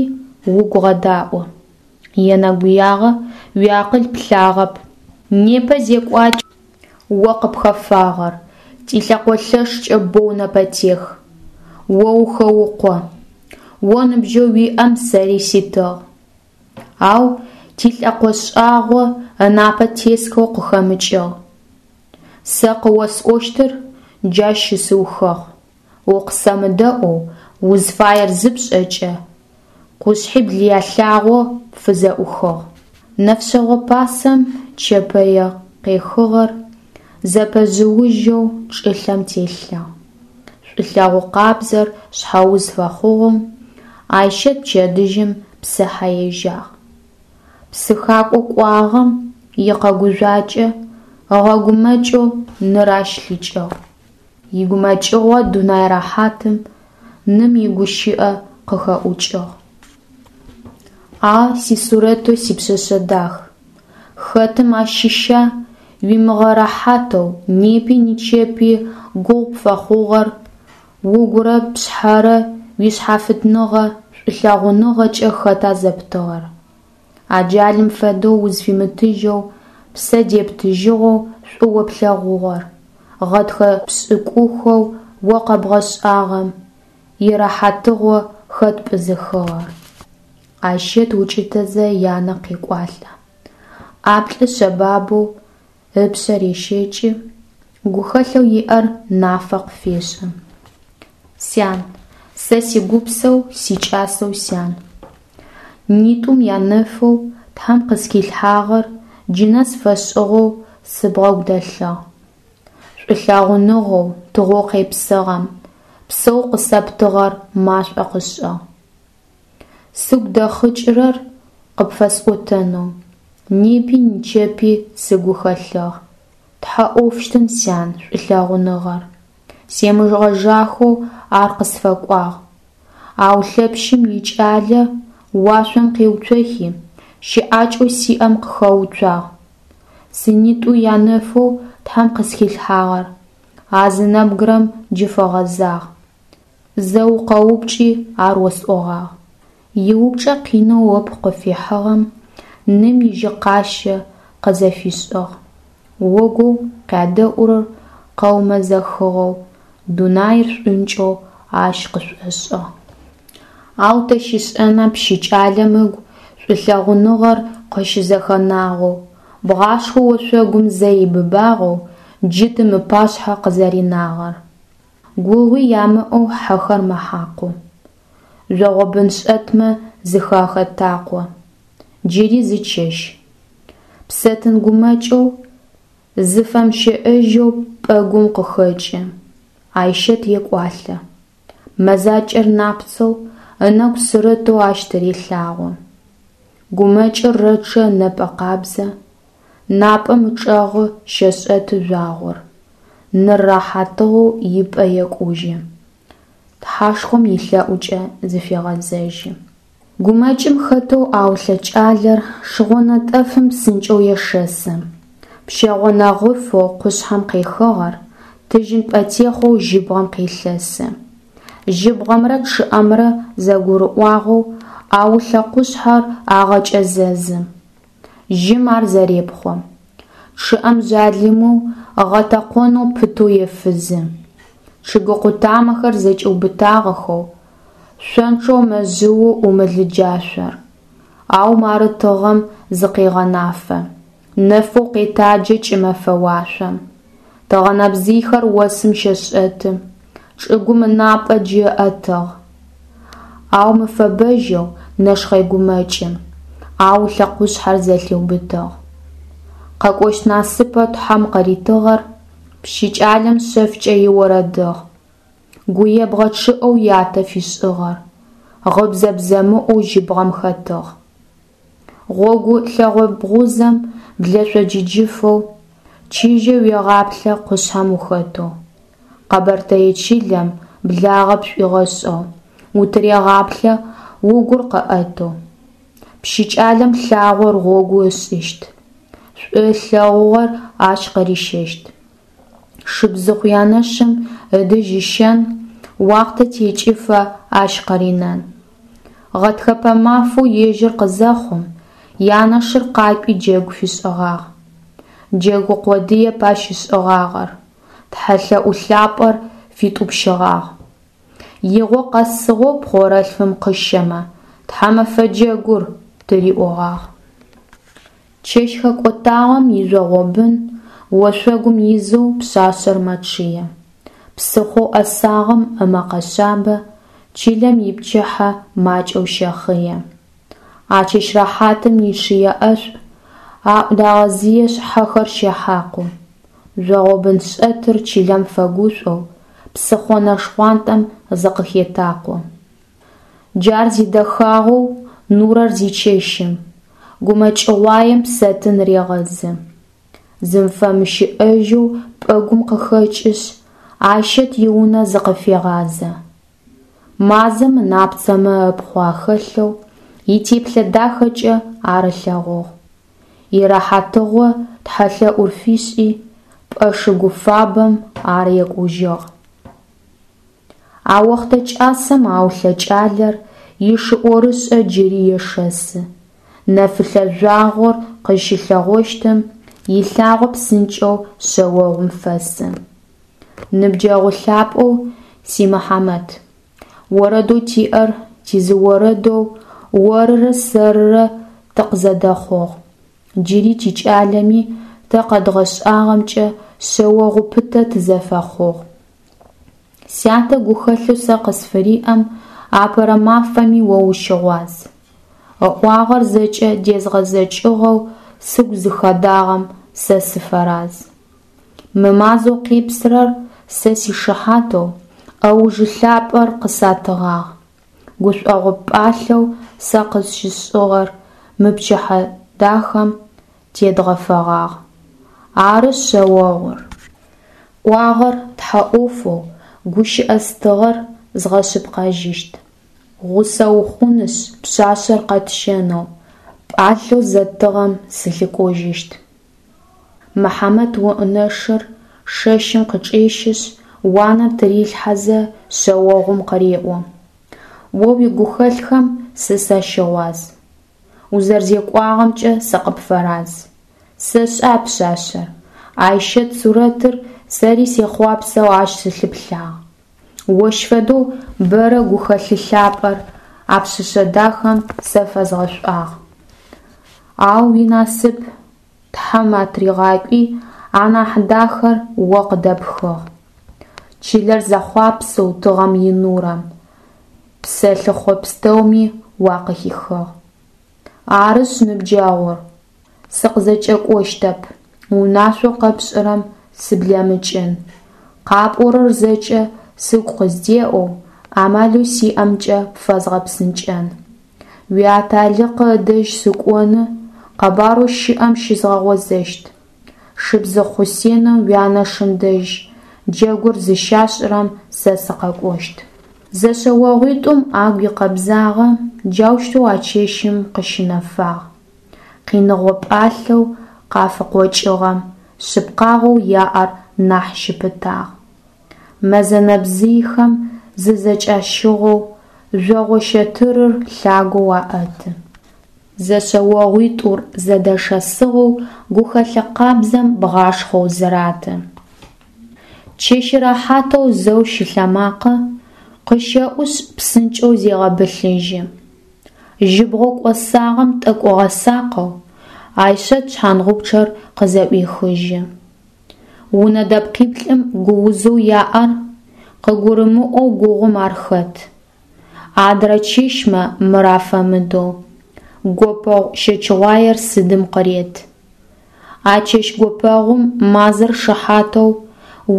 угу гъэдаӏо. Енэгуягъо, уиакъыл плъагъэп. Непэ зекӏуакӏэу о къыпхэфагъэр тилӏэкъолъэшкӏэ боу нэпэтех. О ухэукъо. О ныбжьэу уиӏэм сэри ситыгъ. Ау тилӏэкъо шӏагъо ынапэ тесхэу къыхэмыкӏыгъ. Сэ къыосӏощтыр джащ щысыухыгъ. Укъысэмыдэӏоу узфаер зыпшӏэкӏэ, къушъхьибл ялъагъо пфызэӏухыгъ. Нэфшъэгъо пасэм чэпэе къехыгъэр зэпэжъыужьэу чӏылъэм телъыгъ. Шӏулъэгъу къабзэр шъхьэуз фэхъугъэу Айщэт пчэдыжьым псыхьэ ежьагъ. Псыхакӏо кӏуагъэм икъэгужъуакӏэ ыгъэгумэкӏэу ныр ащ лъикӏыгъ. Игумэкӏыгъо дунай рэхьатым ным игущыӏэ къыхэӏукӏыгъ. А сисурэтэу сипшъэшъэ дах, хэтым ащыща уимыгъэрэхьатэу непи нычэпи гугъу пфэхъугъэр, угурэ пшъхьэрэ уишъхьафитныгъэ шӏулъэгъуныгъэкӏэ хэта зэптыгъэр? Аджалым фэдэу узфимытыжьэу, ппсэ дептыжьыгъэу шӏу о плъэгъугъэр, гъэтхэ пшӏыкӏухэу о къэбгъэшӏагъэм ирэхьатыгъо хэт пӏызыхыгъэр? Айщэт укӏытэзэ янэ къекӏуалӏэ. ӏаплӏы шъэбабэу ыпшъэ рещэкӏы, гухэлъэу иӏэр нафэ къыфешӏы. Сян, сэ сигупсэу, сикӏасэу сян. Нитӏум янэфэу Тхьэм къысхилъхьагъэр джы нэс фэшӏыгъэу сыбгъэгу дэлъыгъ. Шӏулъэгъуныгъэу тыгъэу къепсыгъэм псэу къысэптыгъэр машӏо къышӏыгъ. Сыгу дэхъыкӏырэр къыпфэсӏотэнэу непи нычэпи сыгу хэлъыгъ. Тхьэ ӏофщтын, сян, шӏулъэгъуныгъэр. Семыгъэжахэу ар къысфэкӏуагъ. Ау Лъэпшъым икӏалэ уашъом къеуцохи, щыӏакӏэу сиӏэм къыхэуцуагъ. Сынитӏу янэфэу Тхьэм къысхилъхьагъэр а зы нэбгырэм джы фэгъэзагъ. Зэ укъэупчӏи, ар осӏогъагъ. Иупчӏэ къинэу ыпхъу къыфихьыгъэм ным ижьыкъащэ къызэфишӏыгъ. Огоу къядэӏурэр къэумэзэхыгъэу, дунаир шӏункӏэу ащ къышӏошӏыгъ. Ау тэ щишӏэна пщы кӏалэм ыгу шӏулъэгъуныгъэр къыщызэхэнагъэу, бгъашхъоу ошъогум зэ ибыбагъэу джы тым ыпашъхьэ къызэринагъэр? Гугъуи ямыӏэу хьэхэр мэхьакъу. Жъогъобыншӏэтмэ зыхахэтакъо. Джыри зы чэщ. Псэтын гумэкӏэу, зыфэмыщэӏэжьэу пӏэгум къыхэкӏы, Айщэт екӏуалӏэ. Мэзакӏэр напцэу, ынэгу сырытэу ащ тырелъагъо. Гумэкӏыр рэчъэ ынэпӏэ къабзэ, напӏэм ычӏэгъы щэшӏэты жъуагъор, ныр рэхьатыгъэу ипӏэ екӏужьы, Тхьэшхом илъэӏукӏэ зыфегъэзэжьы. Гумэкӏым хэтэу Аулъэ кӏалэр шыгъо нэтӏэфым псынкӏэу ешэсы. Пщэгъо нэгъыфэу къушъхьэм къехыгъэр тыжьын пӏэтехъоу жьыбгъэм къелъэсы. Жьыбгъэмрэ чъыӏэмрэ зэгурыӏуагъэу Аулъэ къушъхьэр агъэкӏэзэзы. Жьым ар зэрепхъо. Чъыӏэм жъалымэу ыгъэтэкъонэу пытэу ефызы. Чъыгы къутамэхэр зэкӏиубытагъэхэу, шъончъэу мэжъыу ӏумылы джашъор. Ау мары тыгъэм зыкъегъэнафэ, нэфэу къетаджэ кӏымэфэ уашъом. Тыгъэнэбзыйхэр осым щэшӏэты, чӏыгум ынапӏэ джы ыӏэтыгъ. Ау мыфэбэжьэу нэшхъэй гумэкӏым Аулъэ къушъхьэр зэлъиубытыгъ. Къэкӏощт насыпэу Тхьэм къыритыгъэр пщы кӏалэм шъэфкӏэ иорэдыгъ. Гуебгъэ чъыӏэу ятэ фишӏыгъэр гъыбзэ бзэмыӏоу жьыбгъэм хэтыгъ. Гъогу лъэгъо бгъузэм блэшъо джыджыфэу, чыжьэу уегъаплъэ къушъхьэм ухэтэу. Къэбэртэе чылэм благъэ пшӏуигъэшӏэу, утырегъаплъэ угур къыӏэтэу. Пщы кӏалэм лъагъор гъогу ышӏыщт, шӏу ылъэгъугъэр ащ къырищэщт. Шыбзыхъу янэшым ыдэжь ыщэн, уахътэ текӏыфэ ащ къыринэн. Гъэтхэпэ мафэу ежьыр къызэхъум, янэшыр къакӏуи джэгу фишӏыгъагъ. Джэгу къодыеп ащ ышӏыгъагъэр, тхьэлъэӏу лъапӏэр фитӏупщыгъагъ. Игъо къэсыгъэу пхъорэлъфым къыщэмэ, Тхьэмэфэ джэгур, тыриӏогъагъ. Чэщ хэкӏотагъэм ижъогъобын Ошъогум изэу пшъашъэр мэчъые. Псыхъоу ӏэсагъэм ымэкъэ шъабэ Чылэм ипчыхьэ макӏэу щэхъые. А чэщ рэхьатым ичъые ӏэшӏу Аӏу дагъэзыешъ, хьэхэр щэхьакъу. Жъогъобын шӏэтыр чылэм фэгушӏоу Псыхъо нэ шхъуантӏэм зыкъыхетакъо. Джар зидэхагъэу нурэр зичэщым, Гумэкӏыгъуаем псэтын регъэзы. Зыфэмыщыӏэжьэу пӏэгум къыхэкӏышъ, Айщэт иунэ зыкъыфегъазэ. Мазэм ынапцэмэ ыпхъу ахэлъэу Итеплъэ дахэкӏэ ар ылъэгъугъ. Ирэхьатыгъо тхьэлъэӏур фишӏи, Пӏэ шыгу фабэм ар екӏужьыгъ. А охътэ кӏасэм Аулъэ кӏалэр Ишы ӏорышӏэ джыри ешэсы. Нэфылъэ жъуагъор къызщылъэгъощтым Илъагъо псынкӏэу шъэогъум фэсы. Ныбджэгъу лъапӏэу си Мыхьамэт, Орэдэу тиӏэр тизы орэдэу Орырэ сэрырэ тыкъызэдэхъугъ. Джыри тикӏалэми тэ къэдгъэшӏагъэмкӏэ Шъэогъу пытэ тызэфэхъугъ. Сятэ гухэлъэу сэ къысфыриӏэм Апэрэ мафэми о ущыгъуаз. Ыӏуагъэр зэкӏэ дезгъэзэкӏыгъэу Сыгу зыхэдагъэм сэ сыфэраз. Мы мазэу къепсырэр сэ сишыхьатэу ӏэужы лъапӏэр къысатыгъагъ. Гушӏогъо пӏалъэу сэ къысщышӏыгъэр Мы пчыхьэ дахэм тедгъэфэгъагъ. Ары, шъэогъур. ӏуагъэр тхьэ ӏофэу, гущыӏэ стыгъэр згъэшъыпкъэжьыщт. Гъусэ ухъунышъ, пшъашъэр къэтщэнэу Пӏалъэу зэттыгъэм сылъыкӏожьыщт. Мыхьамэт онэшыр шэщым къычӏещышъ, уанэм тырилъхьэзэ, шъэогъум къыреӏо: О уигухэлъхэм сэ сащыгъуаз, Узэрэзекӏуагъэмкӏэ сыкъыпфэраз. Сэшӏэ а пшъашъэр, Айщэт сурэтыр, Сэри сехъуапсэу ащ сылъыплъагъ. Ощ фэдэу бэрэ гухэлъы лъапӏэр А пшъэшъэ дахэм сэ фэзгъэшӏуагъ. Ау уинасып Тхьэм атыригъакӏуи, Анахь дахэр о къыдэпхыгъ. Чылэр зэхъуапсэу тыгъэм инурэм Псэлъыхъо пстэуми уакъыхихыгъ. Арышъ, ныбджэгъур, сыкъызэкӏэкӏощтэп, Унашъоу къэпшӏырэм сыблэмыкӏын. Къапӏорэр зэкӏэ сыгу къыздеӏэу Амалэу сиӏэмкӏэ пфэзгъэпсынкӏэн. Уиаталыкъы ыдэжь сыкӏоны, Къэбарэу щыӏэм щызгъэгъозэщт. Шыбзыхъу Хъусенэу уянэшым дэжь Джэгур зыщашӏырэм сэ сыкъэкӏощт. Зэшъэогъуитӏум агу икъэбзагъэ Джаущтэу а чэщым къыщынэфагъ. Къиныгъо пӏалъэу къафыкъокӏыгъэм Шъыпкъагъэу яӏэр нахь щыпытагъ. Мэзэ нэбзыйхэм зызэкӏащыгъэу Жъогъо щэтырыр лъагэу аӏэты. Зэшъэогъуитӏур зэдэшэсыгъэу Гухэлъы къабзэм бгъашхъоу зыраты. Чэщ рэхьатэу зэу шылъэмакъэ Къыщэӏушъ, псынкӏэу зегъэбылъыжьы. Жьыбгъэу кӏосагъэм тӏэкӏу ыгъэсакъэу, Айщэт шъхьангъупчъэр къызэӏуехыжьы. Унэ дэпкъиплӏым гуузэу яӏэр Къыгурымыӏоу гугъум ар хэт. Адрэ чэщмэ мыр афэмыдэу, Гопэгъу щэчыгъуаер сыдым къырет. А чэщ гопэгъум мазэр шыхьатэу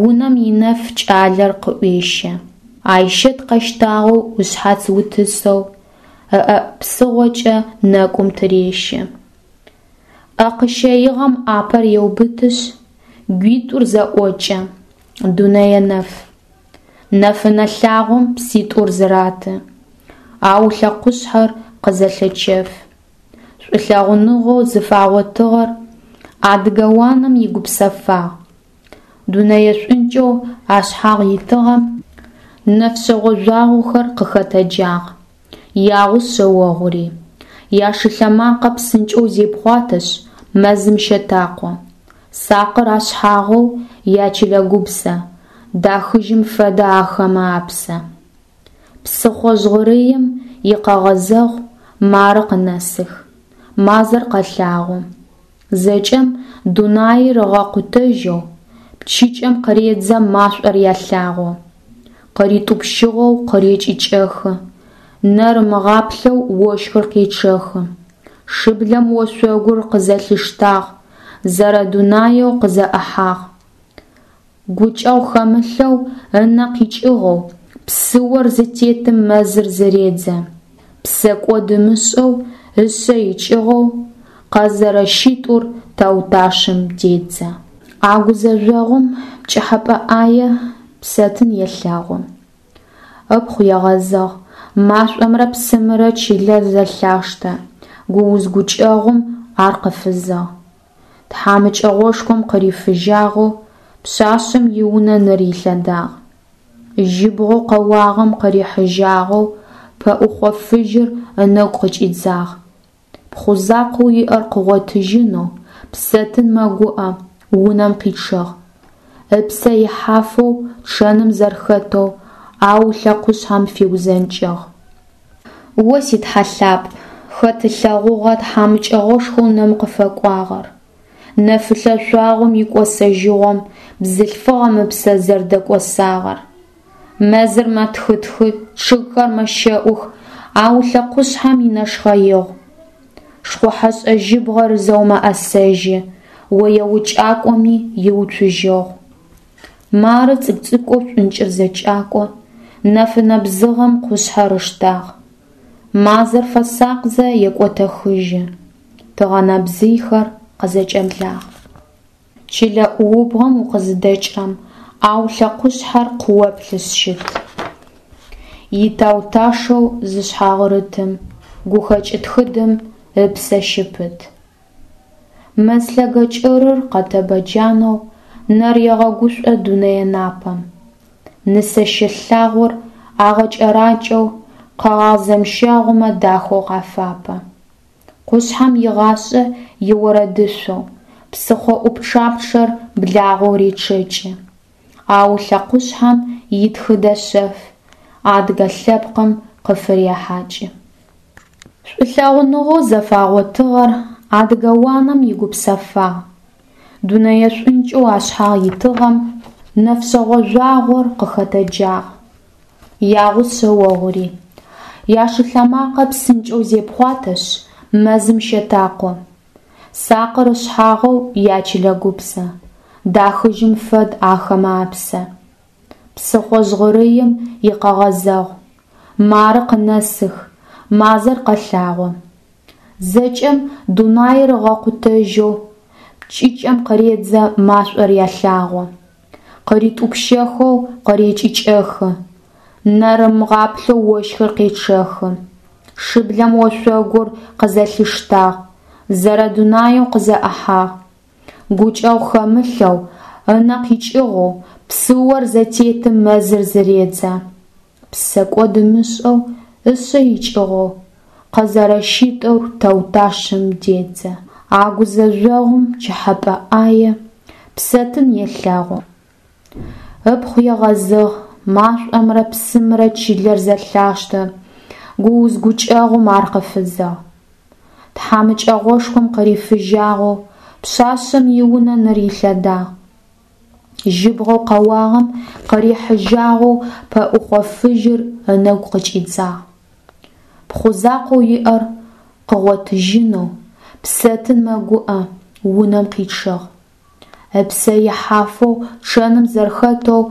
Унэм инэф кӏалэр къыӏуещэ. Айщэт къэщтагъэу ышъхьац утысэу Ыӏэ псыгъокӏэ нэкӏум тырещэ. ӏэ къыщэигъэм ӏапэр еубытышъ, Гуитӏур зэӏокӏэ, дунэе нэф. Нэфынэ лъагъом пситӏур зыраты, Аулъэ къушъхьэр къызэлъэчэф. Шӏулъэгъуныгъэу зыфагъотыгъэр Адыгэ уанэм игупсэфагъ. Дунэе шӏункӏэу ашъхьагъ итыгъэм Нэфшъэгъо жъуагъохэр къыхэтэджагъ. Ягъус шъэогъури. Яшылъэмакъэ псынкӏэу зепхъуатэшъ, мэзым щэтакъо. Сакъыр ашъхьагъэу ячылэ гупсэ, Дахыжьым фэдэ ахэмэ апсэ. Псыхъо жъгъырыим икъэгъэзэгъу Мары къынэсых, мазэр къэлъагъо. Зэкӏэм дунаир ыгъэкъутэжьэу, Пчыкӏэм къыредзэ машӏор ялъагъо. Къыритӏупщыгъэу къырекӏыкӏэхы, Нэр ымыгъаплъэу ощхыр къечъэхы. Шыблэм ошъогур къызэлъиштагъ, Зэрэдунаеу къызэӏыхьагъ. Гукӏэгъу хэмылъэу ынэ къикӏыгъэу, Псыор зытетым мэзыр зыредзэ. Псэкӏод ымышӏэу ышъэ икӏыгъэу, Къэзэрэщитӏур тауташэм дедзэ. А гузэжъогъум пкӏыхьэпӏэ ӏае Псэтын елъэгъу. Ыпхъу егъэзыгъ, машӏомрэ псымрэ чылэр зэлъаштэ, гууз-гукӏэгъум ар къыфызыгъ. Тхьамыкӏэгъошхом къырифыжьагъэу пшъашъэм иунэ ныр илъэдагъ. Жьыбгъэу къэуагъэм къырихьыжьагъэу пэӏухъо фыжьыр ынэгу къыкӏидзагъ. Пхъу закъоу иӏэр къыгъотыжьынэу Псэтын мэгуӏэ, унэм къичъыгъ. Ыпсэ ихьафэу чъэным зэрэхэтэу Аулъэ къушъхьэм фиузэнкӏыгъ. О си Тхьэ лъапӏ, хэт ылъэгъугъа тхьамыкӏэгъошхоу ным къыфэкӏуагъэр? Нэфылъэ шъуагъом икӏосэжьыгъом бзылъфыгъэм ыпсэ зэрэдэкӏосагъэр. Мэзыр мэтхытхы, чъыгхэр мэщэӏух, Аулъэ къушъхьэм инэшхъэигъу. Шхъухьэшӏэ жьыбгъэр зэу мэӏэсэжьы, ое укӏакӏоми иуцужьыгъу. Мары цӏыкӏу-цӏыкӏоу шӏункӏыр зэкӏакӏо, нэфынэ бзыгъэм къушъхьэр ыштагъ. Мазэр фэсакъзэ екӏотэхыжьы, тыгъэнэбзыйхэр къызэкӏэблагъ. Чылэ ӏуубгъэм укъызыдэкӏрэм, Аулъэ къушъхьэр къыоплъышъ щыт. Итау-ташэу зышъхьагъырытым гухэкӏ тхыдэм ыпсэ щыпыт. Мэз лъэгэ кӏырыр къэтэбэ джанэу нэр егъэгушӏо дунэе напэм. Нысэщэ лъагъор агъэкӏэракӏэу къэгъагъ зэмщэгъумэ дахэу къафапэ. Къушъхьэм игъашӏэ иорэдышъоу псыхъо ӏупчъапчъэр благъэу речъэкӏы. Аулъэ къушъхьэм итхыдэ шъэф адыгэ лъэпкъым къыфырехьакӏы. Шӏулъэгъуныгъэу зэфагъотыгъэр адыгэ уанэм игупсэфагъ. Дунэе шӏункӏэу ашъхьагъ итыгъэм нэфшъэгъо жъуагъор къыхэтэджагъ. Ягъус шъэогъури. Яшылъэмакъэ псынкӏэу зепхъуатэшъ, мэзым щэтакъо. Сакъыр ышъхьагъэу ячылэ гупсэ, дахыжьым фэд ахэмэ апсэ. Псыхъо жъгъырыим икъэгъэзэгъу, мары къынэсых, мазэр къэлъагъо. Зэкӏэм дунаир ыгъэкъутэжьэу, пчыкӏэм къыредзэ машӏор ялъагъо. Къыритӏупщэхэу къырекӏыкӏэхы, нэр ымыгъаплъэу ощхыр къечъэхы. Шыблэм ошъогур къызэлъиштагъ, зэрэдунаеу къызэӏыхьагъ. Гукӏэгъу хэмылъэу, ынэ къикӏыгъэу псыор зытетым мэзыр зыредзэ. Псэкӏод ымышӏэу ышъэ икӏыгъэу къэзэрэщитӏур тауташэм дедзэ. А гузэжъогъум пкӏыхьэпӏэ ӏае Псэтын елъэгъу. Ыпхъу егъэзыгъ, машӏомрэ псымрэ чылэр зэлъаштэ, гууз-гукӏэгъум ар къыфызыгъ. Тхьамыкӏэгъошхом къырифыжьагъэу пшъашъэм иунэ ныр илъэдагъ. Жьыбгъэу къэуагъэм къырихьыжьагъэу пэӏухъо фыжьыр ынэгу къыкӏидзагъ. Пхъу закъоу иӏэр къыгъотыжьынэу Псэтын мэгуӏэ, унэм къичъыгъ. Ыпсэ ихьафэу чъэным зэрэхэтэу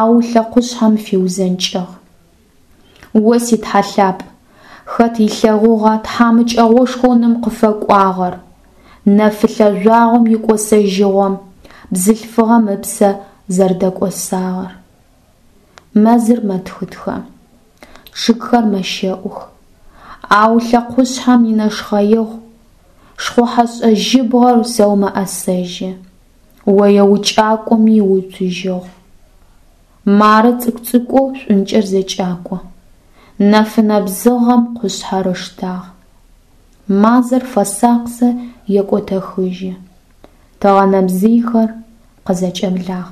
Аулъэ къушъхьэм фиузэнкӏыгъ. О си Тхьэ лъапӏ, хэт ылъэгъугъа тхьамыкӏэгъошхоу ным къыфэкӏуагъэр? Нэфылъэ жъуагъом икӏосэжьыгъом бзылъфыгъэм ыпсэ зэрэдэкӏосагъэр. Мэзыр мэтхытхэ, чъыгхэр мэщэӏух, Аулъэ къушъхьэм инэшхъэигъу, шхъухьэшӏэ жьыбгъэр зэу мэӏэсэжьы, ое укӏакӏоми иуцужьыгъу. Мары цӏыкӏу-цӏыкӏоу шӏункӏыр зэкӏакӏо, нэфынэ бзыгъэм къушъхьэр ыштагъ. Мазэр фэсакъзэ екӏотэхыжьы, тыгъэнэбзыйхэр къызэкӏэблагъ.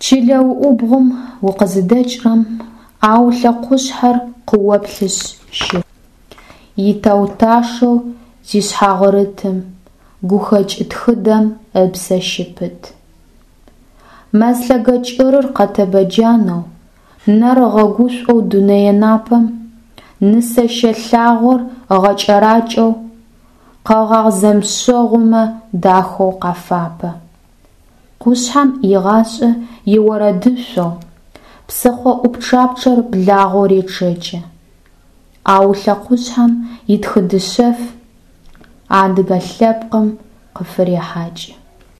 Чылэ уӏубгъум укъызыдэкӏрэм, Аулъэ къушъхьэр къыоплъышъ щыт, Итэу-ташэу зишъхьагъырытым Гухэкӏ тхыдэм ыпсэ щыпыт. Мэз лъэгэ кӏырыр къэтэбэ джанэу, Нэр ыгъэгушӏоу дунэе напэм, Нысэщэ лъагъор ыгъэкӏэракӏэу, Къэгъагъ зэмышъогъумэ дахэу къафапэ. Къушъхьэм игъашӏэ иорэдышъоу Псыхъо ӏупчъапчъэр благъэу речъэкӏы. Аулъэ къушъхьэм итхыдэ шъэф Адыгэ лъэпкъым къыфырехьакӏы.